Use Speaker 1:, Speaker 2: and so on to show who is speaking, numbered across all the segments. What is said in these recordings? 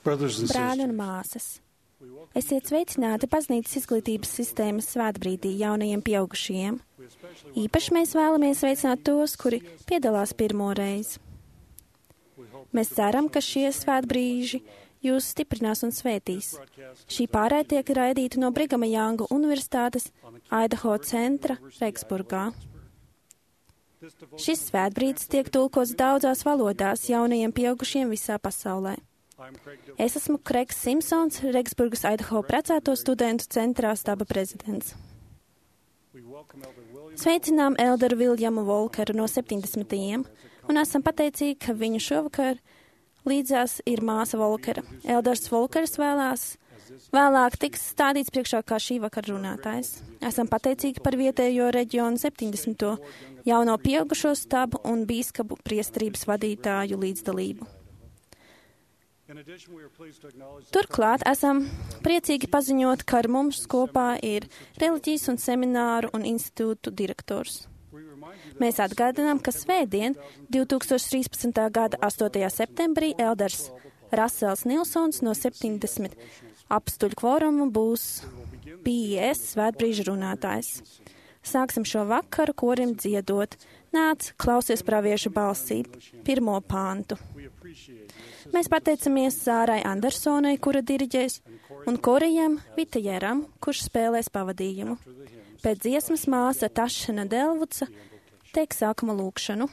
Speaker 1: Brāļi un māsas, esiet sveicināti baznīcas izglītības sistēmas svētbrīdī jaunajiem pieaugušajiem. Īpaši mēs vēlamies sveicināt tos, kuri piedalās pirmo reizi. Mēs ceram, ka šie svētbrīži jūs stiprinās un svētīs. Šī pārēja tiek raidīta no Brigama Janga Universitātes Idaho centra Regsburgā. Šis svētbrīdis tiek tulkots daudzās valodās jaunajiem pieaugušiem visā pasaulē. Es esmu Kreigs Simpsons, Regsburgas Idaho precēto studentu centrā staba prezidents. Sveicinām elderu Viljamu Volkeru no 70. un esam pateicīgi, ka viņu šovakar līdzās ir māsa Volkera. Elders Volkers vēlāk tiks stādīts priekšā kā šī vakara runātājs. Esam pateicīgi par vietējo reģionu 70. jauno pieaugušo stabu un bīskapu priesterības vadītāju līdzdalību. Turklāt esam priecīgi paziņot, ka ar mums kopā ir reliģijas un semināru un institūtu direktors. Mēs atgādinām, ka svētdien, 2013. gada 8. septembrī, elders Rasels Nilsons no 70 apstuļu kvorumu būs PIS svētbrīža runātājs. Sāksim šo vakaru korim dziedot: Nāc, klausies praviešu balsī, 1. pāntu. Mēs pateicamies Sārai Andersonai, kura diriģēs, un Korijam Vitajeram, kurš spēlēs pavadījumu. Pēc dziesmas māsa Tašana Delvuca teiks sākuma lūkšanu.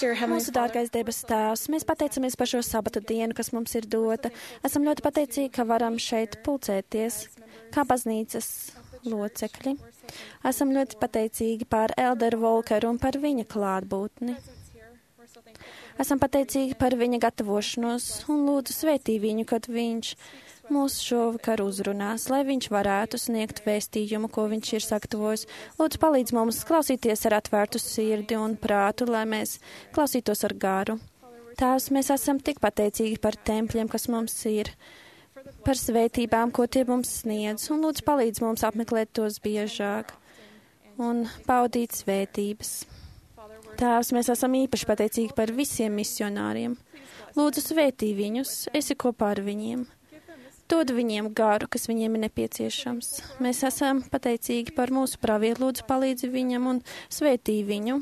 Speaker 1: Mūsu dārgais debesu Tēvs, mēs pateicamies par šo sabata dienu, kas mums ir dota. Esam ļoti pateicīgi, ka varam šeit pulcēties kā baznīcas locekļi. Esam ļoti pateicīgi par elderu Volkeru un par viņa klātbūtni. Esam pateicīgi par viņa gatavošanos un lūdzu svētī viņu, kad viņš mūs šovakar uzrunās, lai viņš varētu sniegt vēstījumu, ko viņš ir sagatavojis. Lūdzu, palīdz mums klausīties ar atvērtu sirdi un prātu, lai mēs klausītos ar garu. Tēvs, mēs esam tik pateicīgi par tempļiem, kas mums ir, par svētībām, ko tie mums sniedz, un lūdzu palīdz mums apmeklēt tos biežāk un paudīt svētības. Tēvs, mēs esam īpaši pateicīgi par visiem misionāriem. Lūdzu svētī viņus, esi kopā ar viņiem. Dod viņiem garu, kas viņiem ir nepieciešams. Mēs esam pateicīgi par mūsu pravietu, lūdzu palīdzi viņam un svētī viņu.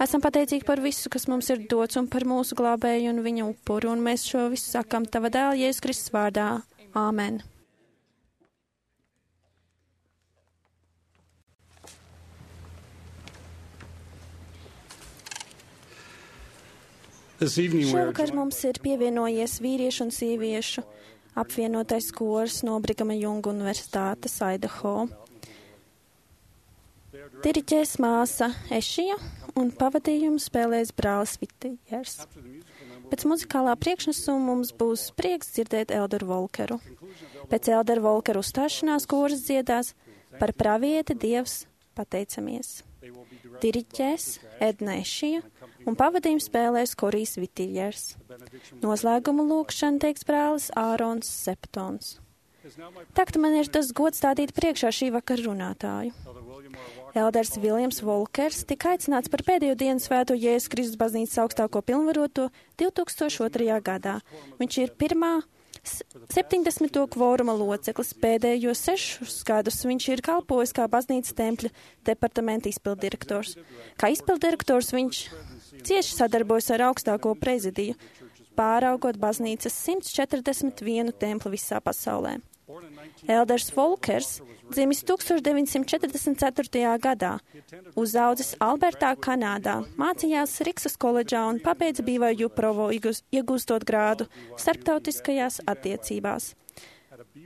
Speaker 1: Esam pateicīgi par visu, kas mums ir dots un par mūsu glābēju un viņa upuru, un mēs šo visu sakam tava dēla Jēzus Kristus vārdā. Āmen. Šovakar mums ir pievienojies vīriešu un sieviešu apvienotais kors no Brigama Junga Universitātes Idaho. Diriģēs māsa Ešija un pavadījumu spēlēs brālis Vitijers. Pēc muzikālā priekšnesuma mums būs prieks dzirdēt Elderu Volkeru. Pēc Elderu Volkeru uzstāšanās kors dziedās par pravieti Dievs pateicamies. Diriģēs Edna Ešija un pavadījumu spēlēs Korijs Vitijers. Noslēgumu lūkšanu teiks brālis Ārons Septons. Tagad man ir tas gods stādīt priekšā šī vakara runātāju. Elders Viljams Volkers tika aicināts par pēdējo dienu svēto Jēzus Kristus baznīcas augstāko pilnvaroto 2002. gadā. Viņš ir pirmā 70. kvoruma loceklis. Pēdējos 6 gadus viņš ir kalpojis kā baznīcas tempļa departamenta izpildirektors. Kā izpildirektors viņš cieši sadarbojas ar augstāko prezidiju, pāraugot baznīcas 141 templi visā pasaulē. Elders Volkers dzimis 1944. gadā, uzaudzis Albertā, Kanādā, mācījās Riksas koledžā un pabeidza BYU Provo, iegūstot grādu starptautiskajās attiecībās.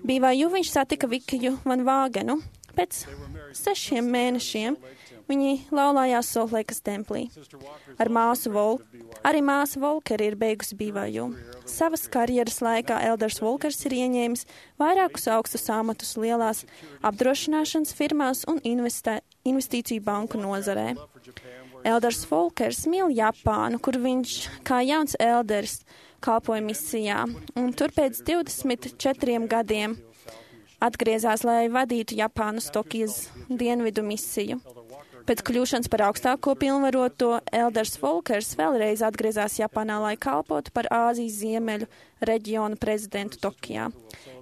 Speaker 1: BYU viņš satika Vikiju Van Vāgenu. Pēc 6 mēnešiem viņi laulājās Soltleikas templī. Arī māsa Volkeri ir beigusi BYU. Savas karjeras laikā Elders Volkers ir ieņēmis vairākus augstus amatus lielās apdrošināšanas firmās un investīciju banku nozarē. Elders Volkers mīl Japānu, kur viņš kā jauns elders kalpoja misijā, un tur pēc 24 gadiem atgriezās, lai vadītu Japānas Tokijas dienvidu misiju. Pēc kļūšanas par augstāko pilnvaroto, Elders Volkers vēlreiz atgriezās Japānā, lai kalpotu par Āzijas ziemeļu reģionu prezidentu Tokijā.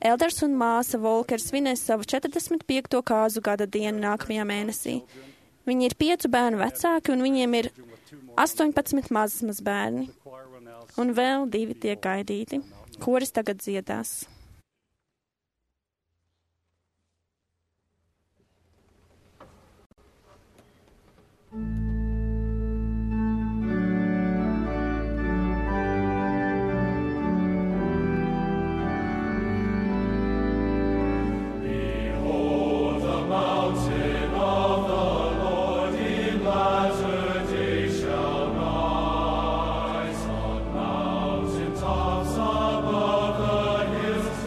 Speaker 1: Elders un māsa Volkers svinēs savu 45. kāzu gada dienu nākamajā mēnesī. Viņi ir 5 bērnu vecāki un viņiem ir 18 mazbērni. Un vēl 2 tiek gaidīti. Koris tagad dziedās.
Speaker 2: Hills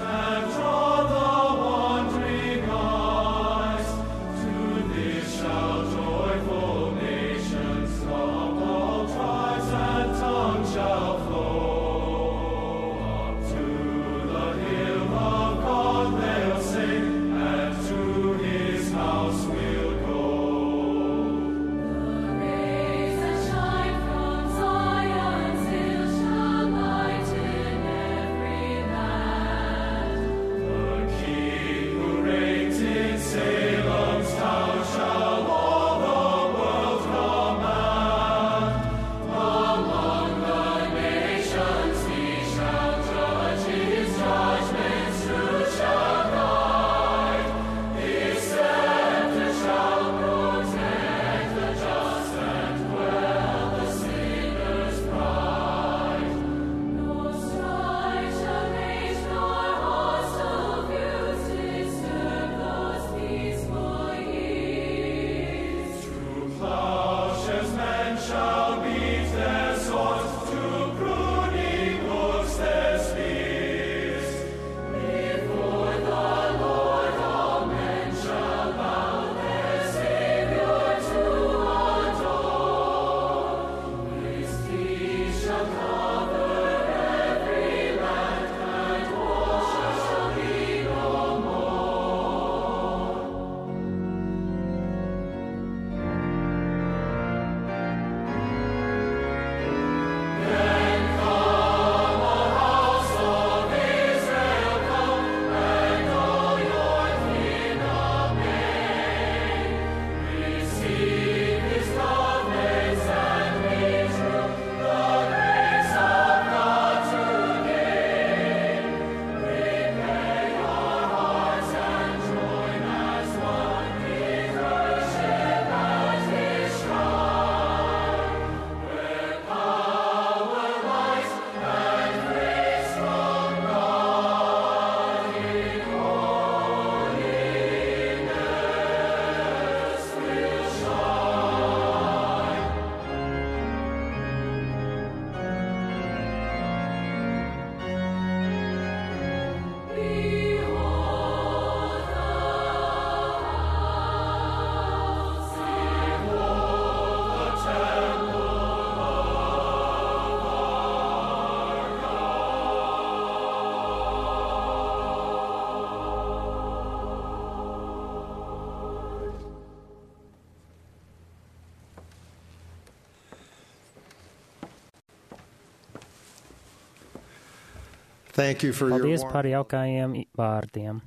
Speaker 2: Paldies par jaukajiem vārdiem.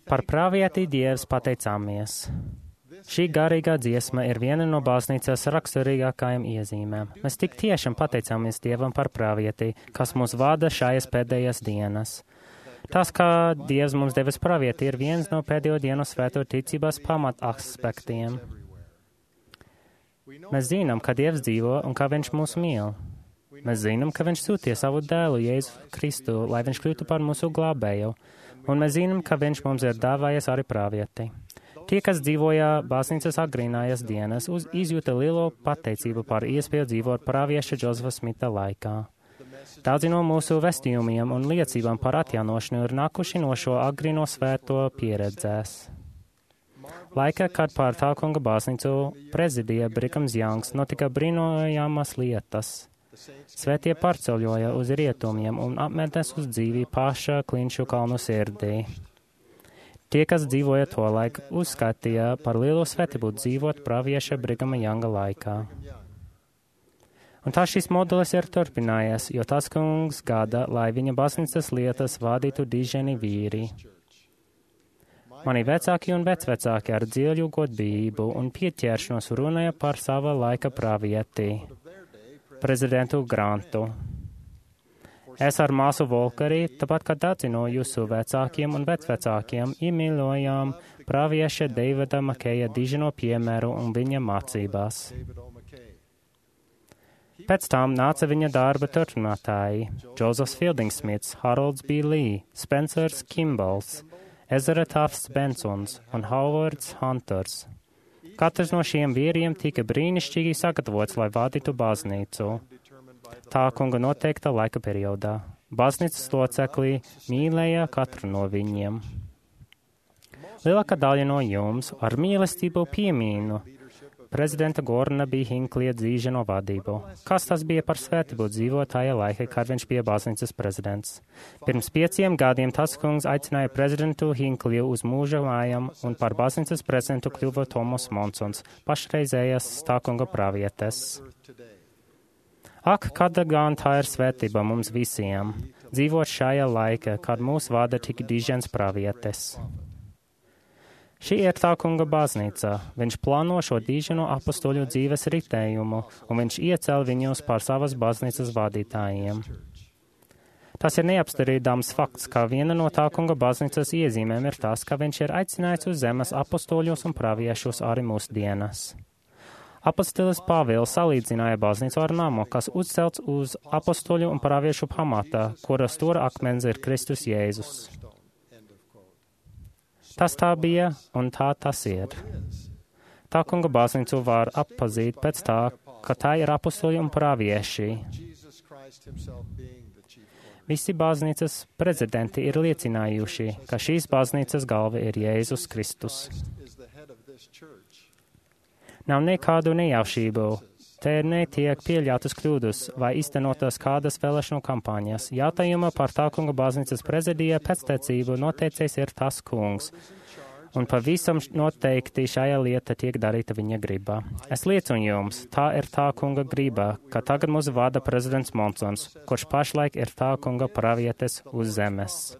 Speaker 2: Par pravieti Dievs pateicāmies. Šī garīgā dziesma ir viena no baznīcas raksturīgākajām iezīmēm. Mēs tik tiešām pateicāmies Dievam par pravieti, kas mūs vada šajās pēdējās dienas. Tas, kā Dievs mums devis pravieti, ir viens no pēdējo dienu svēto ticības pamataspektiem. Mēs zinām, ka Dievs dzīvo un ka Viņš mūs mīl. Mēs zinām, ka Viņš sūtīja savu dēlu Jēzu Kristu, lai Viņš kļūtu par mūsu glābēju. Un mēs zinām, ka Viņš mums ir dāvājis arī pravieti. Tie, kas dzīvoja baznīcas agrīnājas dienas, izjūta lielo pateicību par iespēju dzīvot pravieša Džozefa Smita laikā. Daudzi no mūsu vēstījumiem un liecībām par atjaunošanu ir nākuši no šo agrīno svēto pieredzēs. Laikā, kad pār tā kunga baznīcu prezidija Brigams Jangs, notika brīnojamas lietas. Svētie pārceļoja uz rietumiem un apmetnes uz dzīvi paša Klinšu kalnu sirdī. Tie, kas dzīvoja to laiku, uzskatīja par lielu svētību dzīvot pravieša Brigama Janga laikā. Un tā šis modelis ir turpinājies, jo tas kungs gada, lai viņa baznīcas lietas vadītu diženi vīri. Mani vecāki un vecvecāki ar dziļu godbību un pieķeršanos runāja par sava laika pravieti, prezidentu Grantu. Es ar māsu Volkarī, tāpat kā daudzi no jūsu vecākiem un vecvecākiem, iemīļojām pravieša Deivida Makeja dižino piemēru un viņa mācībās. Pēc tam nāca viņa darba turpinātāji – Džozefs Fildingsmits, Harolds B. Lee, Spencers Kimballs, Ezra Tufts Bensons un Howards Hunters. Katrs no šiem vīriem tika brīnišķīgi sagatavots, lai vadītu baznīcu. Tā kunga noteikta laika periodā. Baznīcas loceklī mīlēja katru no viņiem. Lielākā daļa no jums ar mīlestību piemīnu prezidenta Gorna B. Hinklija dzīženo vadību. Kas tas bija par svētību dzīvotāja laika, kad viņš bija baznīcas prezidents? Pirms 5 gadiem tas kungs aicināja prezidentu Hinkliju uz mūža mājām un par baznīcas prezidentu kļuva Tomas Monsons, pašreizējās tā kunga pravietes. Ak, kāda gan tā ir svētība mums visiem, dzīvot šajā laikā, kad mūs vada tik dižens pravietes. Šī ir tā kunga baznīca. Viņš plāno šo diženo apostoļu dzīves ritējumu, un viņš iecēl viņus par savas baznīcas vadītājiem. Tas ir neapstrīdams fakts, ka viena no tā kunga baznīcas iezīmēm ir tas, ka viņš ir aicinājis uz zemes apostoļus un praviešus arī mūsdienas. Apostolis Pāvils salīdzināja baznīcu ar namu, kas uzcelts uz apostoļu un praviešu pamata, kura stūra akmens ir Kristus Jēzus. Tas tā bija, un tā tas ir. Tā kunga baznīcu var atpazīt pēc tā, ka tā ir apostoļi un pravieši. Visi baznīcas prezidenti ir liecinājuši, ka šīs baznīcas galva ir Jēzus Kristus. Nav nekādu nejaušību. Te netiek pieļautas kļūdas vai iztenotas kādas vēlēšanu kampaņas. Jautājuma par tā kunga baznīcas prezidija pēctecību noteicējs ir tas kungs. Un pavisam noteikti šajā lieta tiek darīta viņa gribā. Es liecinu jums, tā ir tā kunga gribā, ka tagad mūs vada prezidents Monsons, kurš pašlaik ir tā kunga pravietes uz zemes.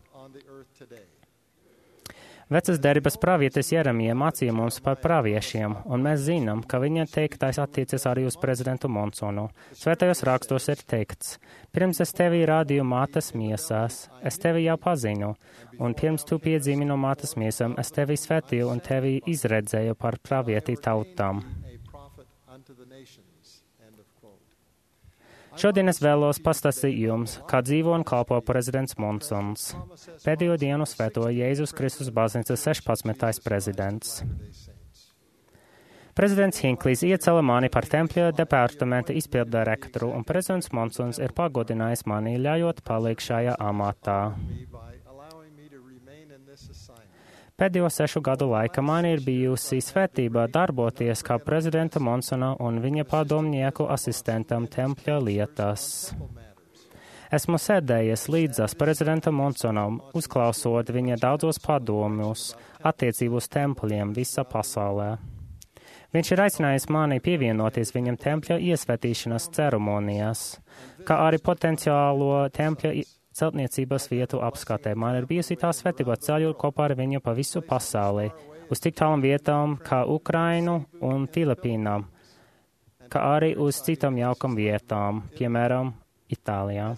Speaker 2: Vecas derības pravietes Jeremija mācīja mums par praviešiem, un mēs zinām, ka viņa teiktais attiecas arī uz prezidentu Monsonu. Svētajos rakstos ir teikts: pirms es tevi rādīju mātes miesās, es tevi jau pazinu, un pirms tu piedzimi no mātes miesām, es tevi svētīju un tevi izredzēju par pravieti tautām. Šodien es vēlos pastāstīt jums, kā dzīvo un kalpo prezidents Monsons, pēdējo dienu svēto Jēzus Kristus baznīcas 16. prezidents. Prezidents Hinklijs iecēla mani par tempļa departamenta izpildu direktoru, un prezidents Monsons ir pagodinājis mani, ļaujot palikt šajā amatā. Pēdējo 6 gadu laikā man ir bijusi svētība darboties kā prezidenta Monsona un viņa padomnieku asistentam tempļa lietās. Esmu sēdējies līdzās prezidenta Monsonam, uzklausot viņa daudzos padomus attiecību uz tempļiem visā pasaulē. Viņš ir aicinājis mani pievienoties viņam tempļa iesvētīšanas ceremonijās, kā arī potenciālo tempļa celtniecības vietu apskatē. Man ir bijusi tā svētība ceļot kopā ar viņu pa visu pasaulī, uz tik tālām vietām kā Ukrainu un Filipīnām, kā arī uz citām jaukam vietām, piemēram, Itālijā.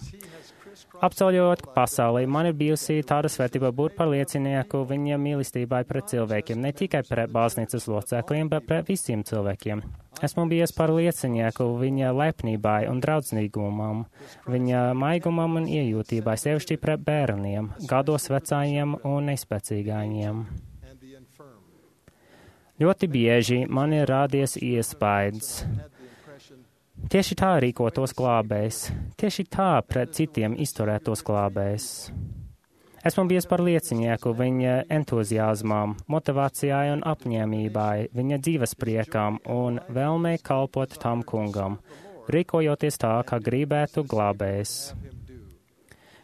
Speaker 2: Apceļot pasaulī, man ir bijusi tāda svētība būt par liecinieku viņa mīlestībai pret cilvēkiem, ne tikai pret baznīcas locekļiem, bet pret visiem cilvēkiem. Esmu bijis par liecinieku viņa lepnībai un draudzīgumam, viņa maigumam un iejūtībai, sevišķi pret bērniem, gados vecājiem un nespēcīgājiem. Ļoti bieži man ir rādies iespējas. Tieši tā rīkotos glābējs, tieši tā pret citiem izturētos glābējs. Esmu bijis par liecinieku viņa entuziasmām, motivācijai un apņēmībai, viņa dzīves priekām un vēlmei kalpot tam kungam, rīkojoties tā, kā gribētu glābējs.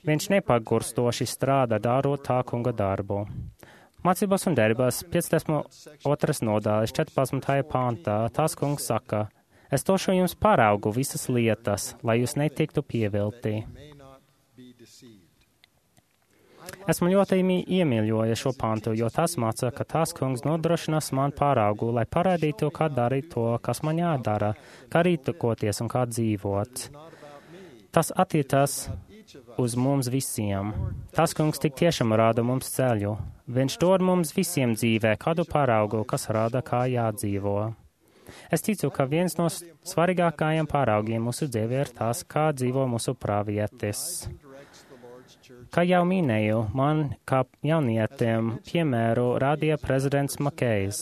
Speaker 2: Viņš nepagurstoši strādā, darot tā kunga darbu. Mācībās un darbās 52. nodaļas 14. pāntā tās kungs saka: Es došu jums paraugu visas lietas, lai jūs netiktu pievilti. Esmu ļoti iemīļojis šo pantu, jo tas māca, ka tās kungs nodrošinās man paraugu, lai parādītu, kā darīt to, kas man jādara, kā rīkoties un kā dzīvot. Tas attiecas uz mums visiem. Tas kungs tik tiešām rāda mums ceļu. Viņš dod mums visiem dzīvē kādu paraugu, kas rāda, kā jādzīvo. Es ticu, ka viens no svarīgākajiem paraugiem mūsu dzīvē ir tas, kā dzīvo mūsu pravietis. Kā jau minēju, man kā jaunietim piemēru rādīja prezidents Makejs.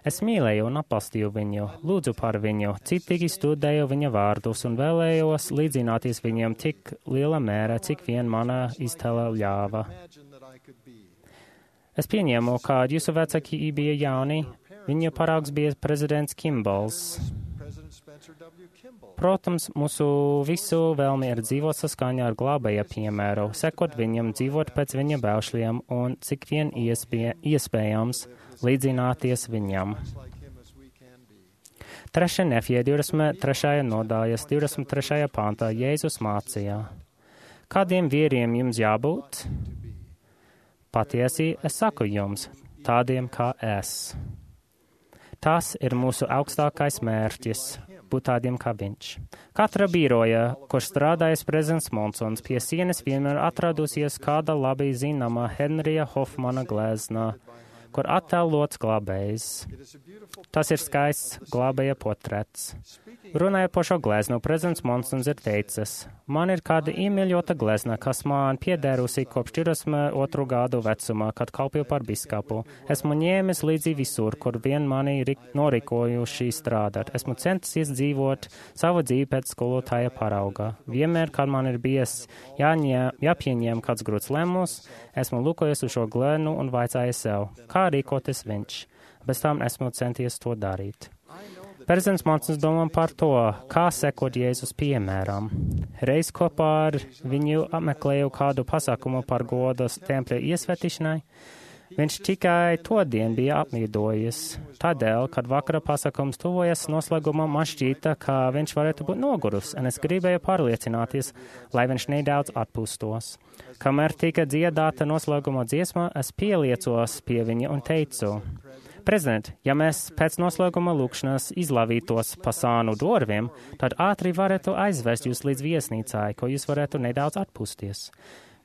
Speaker 2: Es mīlēju un atbalstīju viņu, lūdzu par viņu, citīgi studēju viņa vārdus un vēlējos līdzināties viņam tik liela mērā, cik vien mana iztēle ļāva. Es pieņēmu, ka jūsu vecāki bija jauni. Viņa paraugs bija prezidents Kimbals. Protams, mūsu visu vēlmi ir dzīvot saskaņā ar glābēja piemēru, sekot viņam, dzīvot pēc viņa baušļiem un cik vien iespējams līdzināties viņam. 3. Nefija 23. nodaļas 23. pāntā Jēzus mācīja: Kādiem vīriem jums jābūt? Patiesi, es saku jums, tādiem kā es. Tas ir mūsu augstākais mērķis, būt tādiem kā viņš. Katra biroja, kur strādājas prezidents Monsons, pie sienas vienmēr atradusies kāda labi zināma Henrija Hofmana glezna, kur attēlots glābējs. Tas ir skaists glābēja portrets. Runājot par šo gleznu, prezidents Monsons ir teicis: Man ir kāda iemīļota glezna, kas man piederusi kopš 42 gadu vecumā, kad kalpoju par biskapu. Esmu ņēmis līdzi visur, kur vien mani norīkojuši strādāt. Esmu centusies dzīvot savu dzīvi pēc skolotāja parauga. Vienmēr, kad man ir bijis jāpieņem kāds grūts lēmums, esmu lūkojies uz šo gleznu un vaicājis sev, kā rīkoties viņš. Bez tam esmu centies to darīt. Prezidents Monsons domā par to, kā sekot Jēzus piemēram. Reiz kopā ar viņu apmeklēju kādu pasākumu par godas tempļa iesvētīšanai. Viņš tikai to dienu bija apmīdojis. Tādēļ, kad vakara pasākums tuvojas noslēgumam, man šķīta, ka viņš varētu būt nogurus, un es gribēju pārliecināties, lai viņš nedaudz atpūstos. Kamēr tika dziedāta noslēguma dziesma, es pieliecos pie viņa un teicu: Prezident, ja mēs pēc noslēguma lūkšanas izlavītos pa sānu durvīm, tad ātri varētu aizvest jūs līdz viesnīcai, ko jūs varētu nedaudz atpūsties.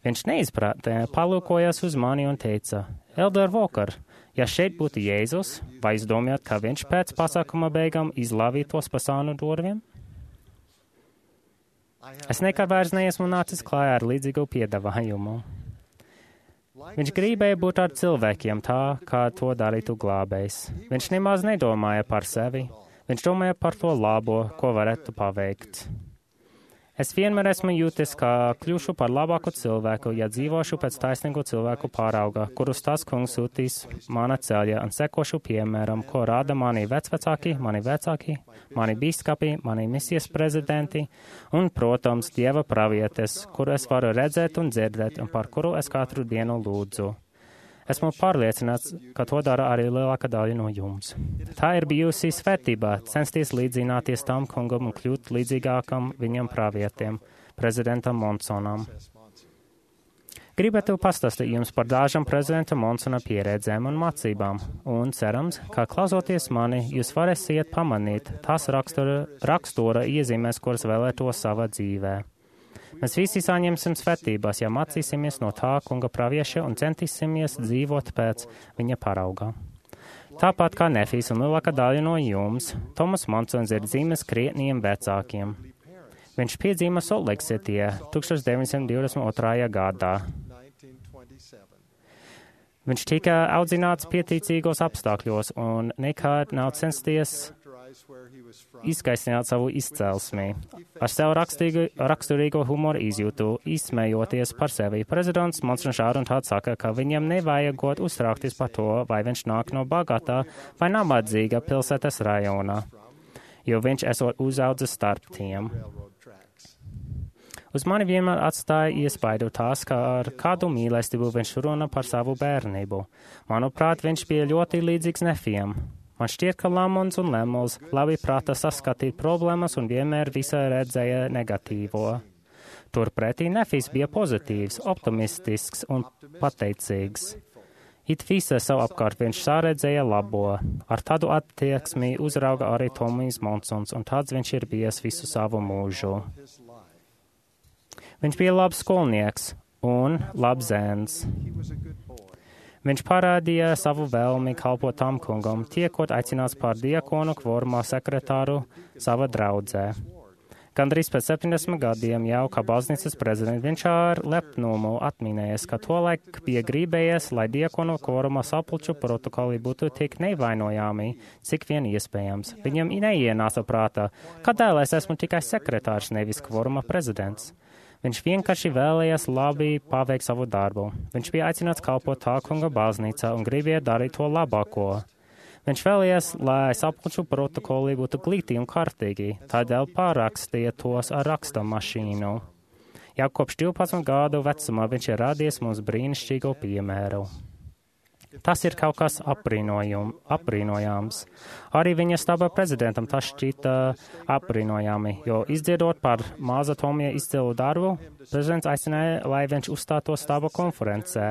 Speaker 2: Viņš neizprātē, palūkojas uz mani un teica: Elder Walker, ja šeit būtu Jēzus, vai jūs domājat, ka viņš pēc pasākuma beigām izlavītos pa sānu durvīm? Es nekad vairs neesmu nācis klājā ar līdzīgu piedāvājumu. Viņš gribēja būt ar cilvēkiem tā, kā to darītu glābējs. Viņš nemaz nedomāja par sevi. Viņš domāja par to labo, ko varētu paveikt. Es vienmēr esmu jūtis, ka kļūšu par labāku cilvēku, ja dzīvošu pēc taisnīgu cilvēku pārauga, kurus tas kungs sūtīs mana ceļā un sekošu piemēram, ko rāda mani vecvecāki, mani bīskapi, mani misijas prezidenti un, protams, Dieva pravietes, kuru es varu redzēt un dzirdēt un par kuru es katru dienu lūdzu. Esmu pārliecināts, ka to dara arī lielākā daļa no jums. Tā ir bijusi svētība, censties līdzināties tam kungam un kļūt līdzīgākam viņam pravietiem. prezidentam Monsonam. Gribētu pastāstīt jums par dažām prezidenta Monsona pieredzēm un mācībām, un cerams, ka klausoties mani, jūs varēsiet pamanīt tās rakstura iezīmēs, kuras vēlētos savā dzīvē. Mēs visi saņemsim svētības, ja mācīsimies no tā kunga pravieša un centīsimies dzīvot pēc viņa parauga. Tāpat kā Nefijs un lielākā daļa no jums, Tomas Monsons ir dzimis krietniem vecākiem. Viņš piedzima Soltleiksitī 1922. gadā. Viņš tika audzināts pieticīgos apstākļos un nekad nav censties izgaistināt savu izcelsmi. Ar sev raksturīgo humoru izjūtu, izsmējoties par sevi. Prezidents Monsons šādi saka, ka viņam nevajagot uztraukties par to, vai viņš nāk no bagātā vai nabadzīga pilsētas rajona, jo viņš esot uzaudzis starp tiem. Uz mani vienmēr atstāja iespaidu tās, ka ar kādu mīlestību viņš runā par savu bērnību. Manuprāt, viņš bija ļoti līdzīgs Nefijam. Man šķiet, ka Lamons un Lemuels labi prāta saskatīt problēmas un vienmēr visai redzēja negatīvo. Turpretī Nefijs bija pozitīvs, optimistisks un pateicīgs. It visa savu apkārt viņš sāredzēja labo. Ar tādu attieksmi uzrauga arī Tomijs Monsons, un tāds viņš ir bijis visu savu mūžu. Viņš bija labs skolnieks un labs zēns. Viņš parādīja savu vēlmi kalpot tam kungam, tiekot aicināts par diakonu kvorumā sekretāru sava draudzē. Gandrīz pēc 70 gadiem jau kā baznīcas prezidents viņš ar lepnumu atminējies, ka tolaik bija gribējies, lai diakonu kvorumā sapulču protokoli būtu tik nevainojami, cik vien iespējams. Viņam neienāca prātā, kādēļ es esmu tikai sekretārs, nevis kvoruma prezidents. Viņš vienkārši vēlējās labi paveikt savu darbu. Viņš bija aicināts kalpot tā kunga baznīcā un gribēja darīt to labāko. Viņš vēlējās, lai sapulču protokoli būtu glīti un kārtīgi, tādēļ pārakstīja tos ar raksta mašīnu. Jau kopš 12 gadu vecumā viņš ir radies mums brīnišķīgu piemēru. Tas ir kaut kas apbrīnojams. Arī viņa staba prezidentam tas šķita apbrīnojami, jo izdziedot par maza Tomija izcilu darbu, prezidents aicināja, lai viņš uzstātos staba konferencē.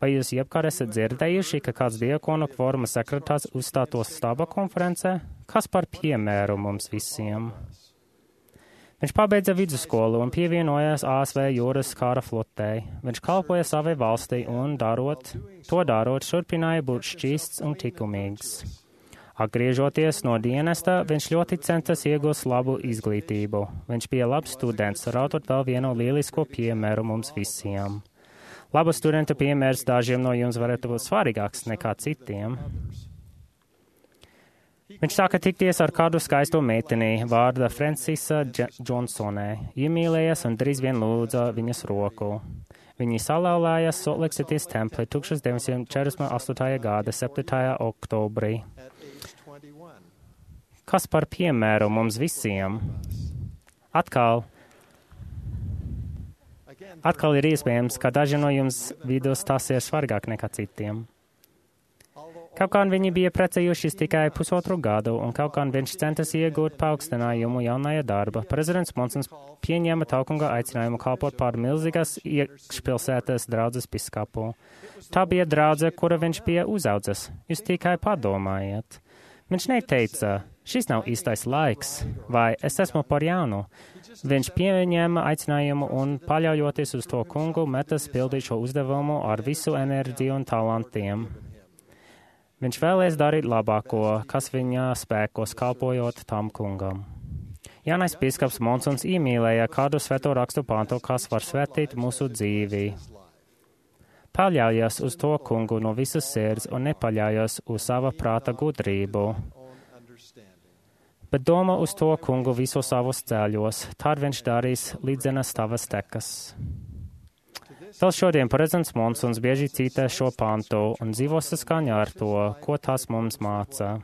Speaker 2: Vai jūs jebkad esat dzirdējuši, ka kāds diakonu kvoruma sekretārs uzstātos staba konferencē? Kas par piemēru mums visiem? Viņš pabeidza vidusskolu un pievienojās ASV jūras kara flotei. Viņš kalpoja savai valstī un darot, turpināja būt šķīsts un likumīgs. Atgriežoties no dienesta, viņš ļoti centās iegūt labu izglītību. Viņš bija labs students, radot vēl vienu lielisku piemēru mums visiem. Laba studenta piemērs dažiem no jums varētu būt svarīgāks nekā citiem. Viņš sāka tikties ar kādu skaistu meiteni vārda Francisa Džonsonē, iemīlējies un drīz vien lūdza viņas roku. Viņi salauzījās Soltleiksitī templī 1948. gada 7. oktobrī. Kas par piemēru mums visiem? Atkal ir iespējams, ka daži no jums vidus tas ir svarīgāk nekā citiem. Kaut kā viņi bija precējušies tikai pusotru gadu, un kaut kā viņš centās iegūt paaugstinājumu jaunajā darba. Prezidents Monsons pieņēma taukunga aicinājumu kalpot par milzīgas iekšpilsētas draudzes piskapu. Tā bija draudze, kura viņš bija uzaudzis. Jūs tikai padomājiet. Viņš neteica, šis nav īstais laiks, vai es esmu par jaunu. Viņš pieņēma aicinājumu un, paļaujoties uz to kungu, metas pildīt šo uzdevumu ar visu enerģiju un talantiem. Viņš vēlēs darīt labāko, kas viņa spēkos, kalpojot tam kungam. Jaunais bīskaps Monsons iemīlēja kādu svēto rakstu pantu, kas var svētīt mūsu dzīvi. Paļaujas uz to kungu no visas sirds un nepaļaujas uz sava prāta gudrību. Bet domā uz to kungu visos savos ceļos, tad viņš darīs līdzenas tavas tekas. Vēl šodien prezidents Monsons bieži citē šo pantu un dzīvo saskaņā ar to, ko tas mums māca.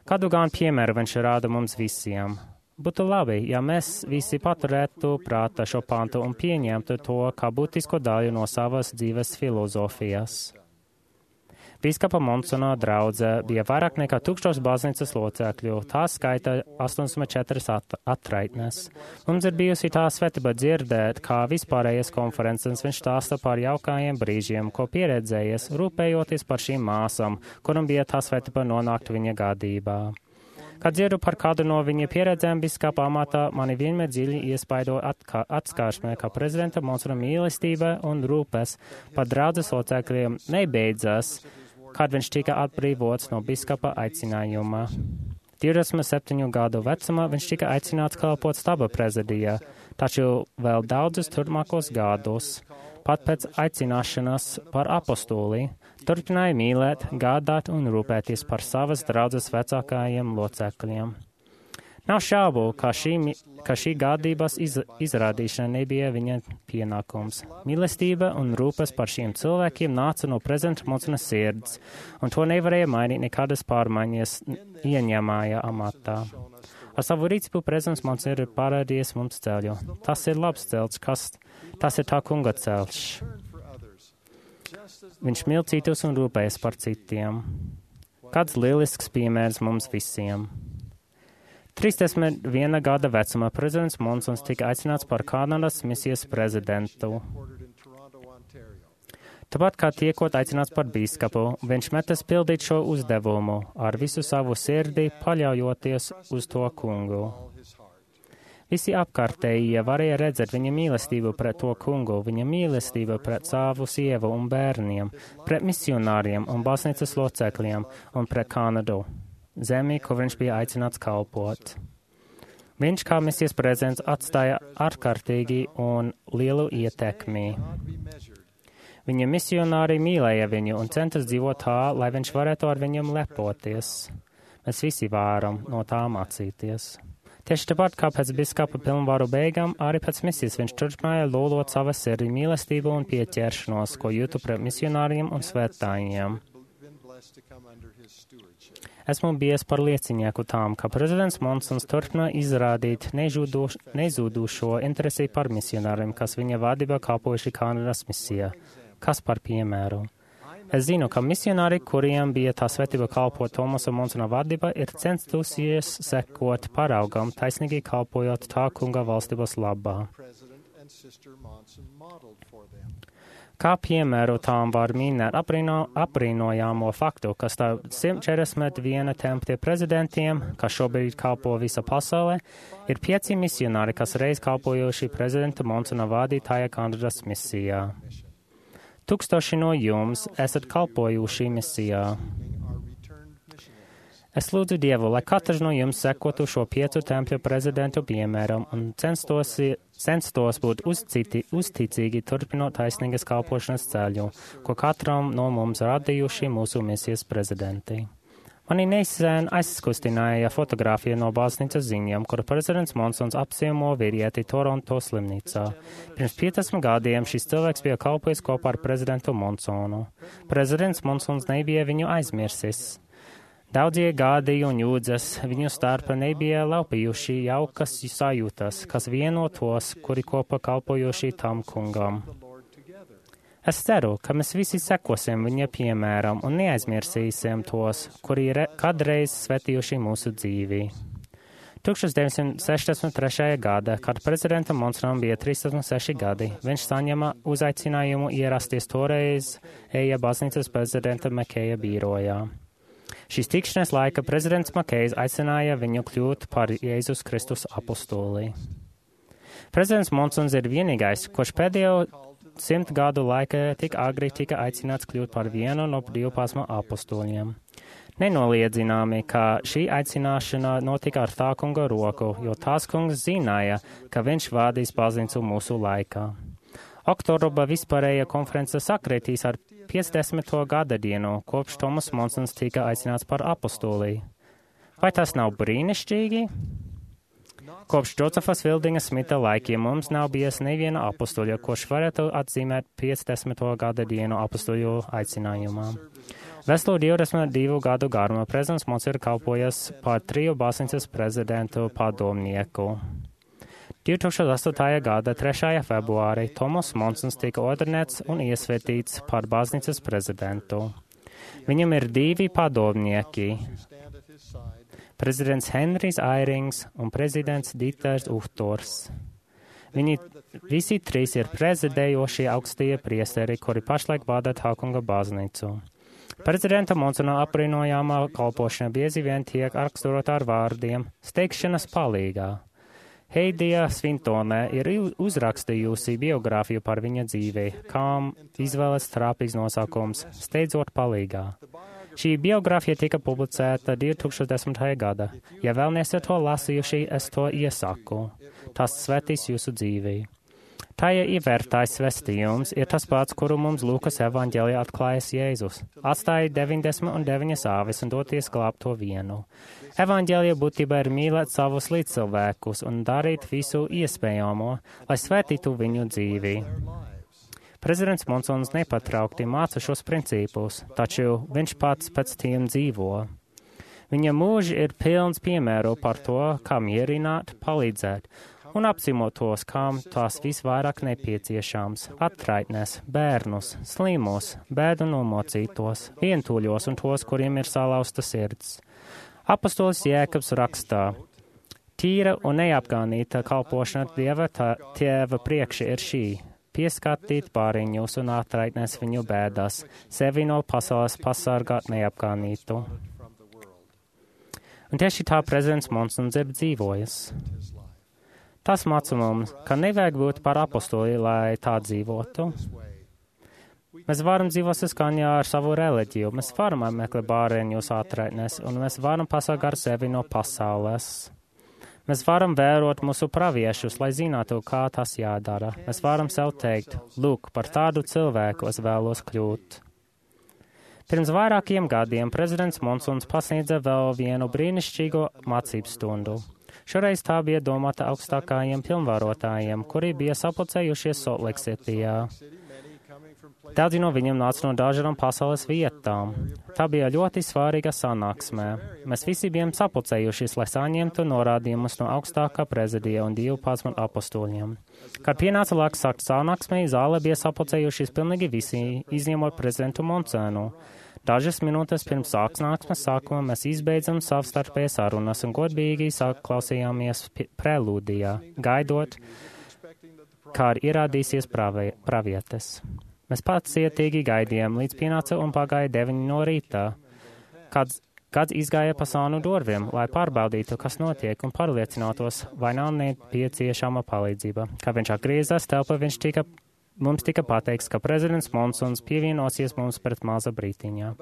Speaker 2: Kādu gan piemēru viņš rāda mums visiem? Būtu labi, ja mēs visi paturētu prātā šo pantu un pieņemtu to kā būtisku daļu no savas dzīves filozofijas. Bīskapa Monsona draudze bija vairāk nekā 1000 baznīcas locekļu, tā skaita 84 atraitnes. Mums ir bijusi tā svētība dzirdēt, kā vispārējas konferences viņš stāsta par jaukajiem brīžiem, ko pieredzējies, rūpējoties par šīm māsām, kuram bija tā svētība nonākt viņa gādībā. Kad dzirdu par kādu no viņa pieredzēm biskapa amatā, mani vienmēr dziļi iespaido atskārsmē, ka prezidenta Monsona mīlestība un rūpes par draudzes locekļiem nebeidzas, kad viņš tika atbrīvots no biskapa aicinājuma. 27 gadu vecumā viņš tika aicināts kalpot staba prezidijā, taču vēl daudzus turpmākos gadus, pat pēc aicināšanas par apostoli, turpināja mīlēt, gādāt un rūpēties par savas draudzes vecākajiem locekļiem. Nav šaubu, ka šī gādības izrādīšana nebija viņa pienākums. Mīlestība un rūpes par šiem cilvēkiem nāca no prezidenta Monsona sirds, un to nevarēja mainīt nekādas pārmaiņas ieņemāja amatā. Ar savu rīcību prezidents Monsons ir parādījis mums ceļu. Tas ir labs ceļš, tas ir tā kunga ceļš. Viņš mīl citus un rūpējas par citiem. Kāds lielisks piemērs mums visiem. 31 gada vecumā prezidents Monsons tika aicināts par Kanādas misijas prezidentu. Tāpat kā tiekot aicināts par bīskapu, viņš metas pildīt šo uzdevumu ar visu savu sirdi, paļaujoties uz to kungu. Visi apkārtējie varēja redzēt viņa mīlestību pret to kungu, viņa mīlestību pret savu sievu un bērniem, pret misionāriem un baznīcas locekļiem un pret Kanādu, zemi, kur viņš bija aicināts kalpot. Viņš kā misijas prezidents atstāja ārkārtīgi un lielu ietekmi. Viņa misionāri mīlēja viņu un centas dzīvot tā, lai viņš varētu ar viņam lepoties. Mēs visi varam no tā mācīties. Tieši tāpat kā pēc biskapa pilnvaru beigām, arī pēc misijas viņš turpināja lolot savas sirdī mīlestību un pieķeršanos, ko jūtu pret misionāriem un svētājiem. Esmu bijis par liecinieku tām, ka prezidents Monsons turpināja izrādīt nezūdušo interesi par misionāriem, kas viņa vadībā kalpojuši Kanādas misijā. Kas par piemēru? Es zinu, ka misionāri, kuriem bija tā svētība kalpot Tomasa Monsona vadībā, ir centusies sekot paraugam, taisnīgi kalpojot tā kunga valstības labā. Kā piemēru tām var minēt apbrīnojamo faktu, ka starp 141 tempļa prezidentiem, kas šobrīd kalpo visa pasaulē, ir 5 misionāri, kas reiz kalpojuši prezidenta Monsona vadītāja Kanādas misijā. 1000 no jums esat kalpojuši misijā. Es lūdzu Dievu, lai katrs no jums sekotu šo 5 tempļu prezidentu piemēram un censtos būt uzticīgi turpinot taisnīgas kalpošanas ceļu, ko katram no mums radījuši mūsu misijas prezidenti. Mani nesen aizkustināja fotografija no baznīcas ziņām, kur prezidents Monsons apciemo vīrieti Toronto slimnīcā. Pirms 50 gadiem šis cilvēks bija kalpojis kopā ar prezidentu Monsonu. Prezidents Monsons nebija viņu aizmirsis. Daudzie gadi un jūdzes viņu starpā nebija laupījuši jaukas sajūtas, kas vieno tos, kuri kopā kalpojuši tam kungam. Es ceru, ka mēs visi sekosim viņa piemēram un neaizmirsīsim tos, kuri kādreiz svētījuši mūsu dzīvi. 1963. gada, kad prezidentam Monsonam bija 36 gadi, viņš saņēma uzaicinājumu ierasties toreiz eja baznīcas prezidenta Makeja birojā. Šīs tikšanās laika prezidents Makejs aicināja viņu kļūt par Jēzus Kristus apostoli. Prezidents Monsons ir vienīgais, kurš pēdējo 100 gadu laikā tik agri tika aicināts kļūt par vienu no 12 apostoliem. Nenoliedzināmi, ka šī aicināšana notika ar tā kunga roku, jo tās kungs zināja, ka viņš vadīs baznīcu mūsu laikā. Oktobra vispārēja konference sakritīs ar 50. gada dienu, kopš Tomas Monsons tika aicināts par apostolī. Vai tas nav brīnišķīgi? Kopš Džozefa Fieldinga Smita laikiem mums nav bijis neviena apostoļa, kurš varētu atzīmēt 50. gada dienu apostoļu aicinājumā. Veselo 22 gadu garumā prezidents Monsons ir kalpojis par 3 baznīcas prezidentu padomnieku. 2008. gada 3. februārī Tomas Monsons tika ordinēts un iesvētīts par baznīcas prezidentu. Viņam ir 2 padomnieki - prezidents Henrijs Airings un prezidents Dīters Uhtors. Viņi visi 3 ir prezidējošie augstie priesteri, kuri pašlaik vada Tākunga baznīcu. Prezidenta Monsona apbrīnojamā kalpošana bieži vien tiek raksturota ar vārdiem steigšanas palīgā. Heidija Svintone ir uzrakstījusi biogrāfiju par viņa dzīvi, kam izvēles trāpīgs nosaukums Steidzot palīgā. Šī biogrāfija tika publicēta 2010. gada. Ja vēl nesat to lasījuši, es to iesaku. Tas svētīs jūsu dzīvi. Tajā ievērtais svestījums ir tas pats, kuru mums Lūkas evaņģēlijā atklājas Jēzus. Atstāja 99 āvis un doties glābt to vienu. Evaņģēlija būtībā ir mīlēt savus līdzcilvēkus un darīt visu iespējamo, lai svētītu viņu dzīvi. Prezidents Monsons nepatraukti māca šos principus, taču viņš pats pēc tiem dzīvo. Viņa mūži ir pilns piemēru par to, kā mierināt, palīdzēt un apciemot tos, kam tās visvairāk nepieciešams - atraitnes, bērnus, slimus, bēdu nomocītos, vientuļos un tos, kuriem ir salauzta sirds. Apostolis Jēkabs rakstā: Tīra un neapgānīta kalpošana Dieva Tēva priekša ir šī - pieskatīt pāriņus un atraitnes viņu bēdas, sevi no pasaules pasargāt neapgānītu. Un tieši tā prezidents Monsons ir dzīvojis. Tas māca mums, ka nevajag būt par apostoli, lai tā dzīvotu. Mēs varam dzīvot saskaņā ar savu reliģiju, mēs varam meklēt bāriņus atraitnes, un mēs varam pasargāt sevi no pasaules. Mēs varam vērot mūsu praviešus, lai zinātu, kā tas jādara. Mēs varam sev teikt, lūk, par tādu cilvēku es vēlos kļūt. Pirms vairākiem gadiem prezidents Monsons pasniedza vēl vienu brīnišķīgu mācību stundu. Šoreiz tā bija domāta augstākajiem pilnvarotājiem, kuri bija sapulcējušies Soltleksitijā. Daudzi no viņiem nāca no dažādām pasaules vietām. Tā bija ļoti svarīga sanāksmē. Mēs visi bijām sapulcējušies, lai saņemtu norādījumus no augstākā prezidija un 12 apostoļiem. Kad pienāca laiks sākt sanāksmē, zāle bija sapulcējušies pilnīgi visi, izņemot prezidentu Monsonu. Dažas minūtes pirms sanāksmes sākuma mēs izbeidzam savstarpējas sarunas un godīgi klausījāmies prelūdijā, gaidot, kā ierādīsies pravietes. Mēs pacietīgi gaidījām, līdz pienāca un pagāja 9 no rītā, kad izgāja pa sānu durvīm, lai pārbaudītu, kas notiek un pārliecinātos, vai nav nepieciešama palīdzība. Kad viņš atgriezās telpā, mums tika pateikts, ka prezidents Monsons pievienosies mums pret maza brītiņā.